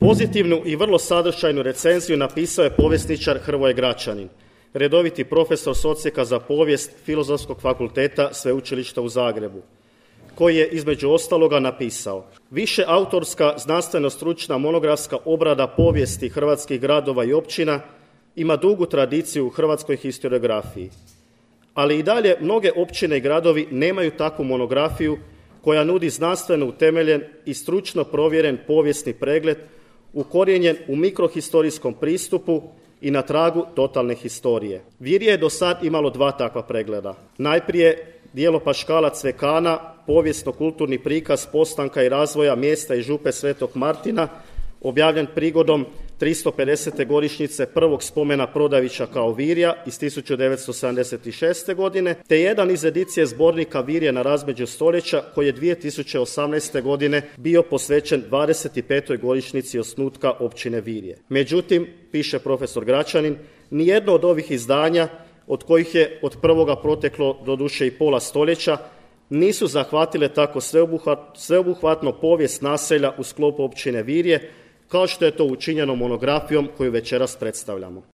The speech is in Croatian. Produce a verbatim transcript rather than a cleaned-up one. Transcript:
Pozitivnu i vrlo sadržajnu recenziju napisao je povjesničar Hrvoje Gračanin, redoviti profesor s odsjeka za povijest Filozofskog fakulteta Sveučilišta u Zagrebu, koji je između ostaloga napisao: više autorska znanstveno-stručna monografska obrada povijesti hrvatskih gradova i općina ima dugu tradiciju u hrvatskoj historiografiji, ali i dalje mnoge općine i gradovi nemaju takvu monografiju koja nudi znanstveno utemeljen i stručno provjeren povijesni pregled ukorijenjen u mikrohistorijskom pristupu i na tragu totalne historije. Virje je do sad imalo dva takva pregleda. Najprije djelo Paškala Cvekana, povijesno-kulturni prikaz postanka i razvoja mjesta i župe Svetog Martina, objavljen prigodom tristo pedesete godišnjice prvog spomena Prodavića kao Virja iz tisuću devetsto sedamdeset šeste. godine, te jedan iz edicije zbornika Virje na razmeđu stoljeća koji je dvije tisuće osamnaeste. godine bio posvećen dvadeset petoj godišnjici osnutka općine Virje. Međutim, piše profesor Gračanin, nijedno od ovih izdanja, od kojih je od prvoga proteklo doduše i pola stoljeća, nisu zahvatile tako sveobuhvat, sveobuhvatno povijest naselja u sklopu općine Virje, kao što je to učinjeno monografijom koju večeras predstavljamo.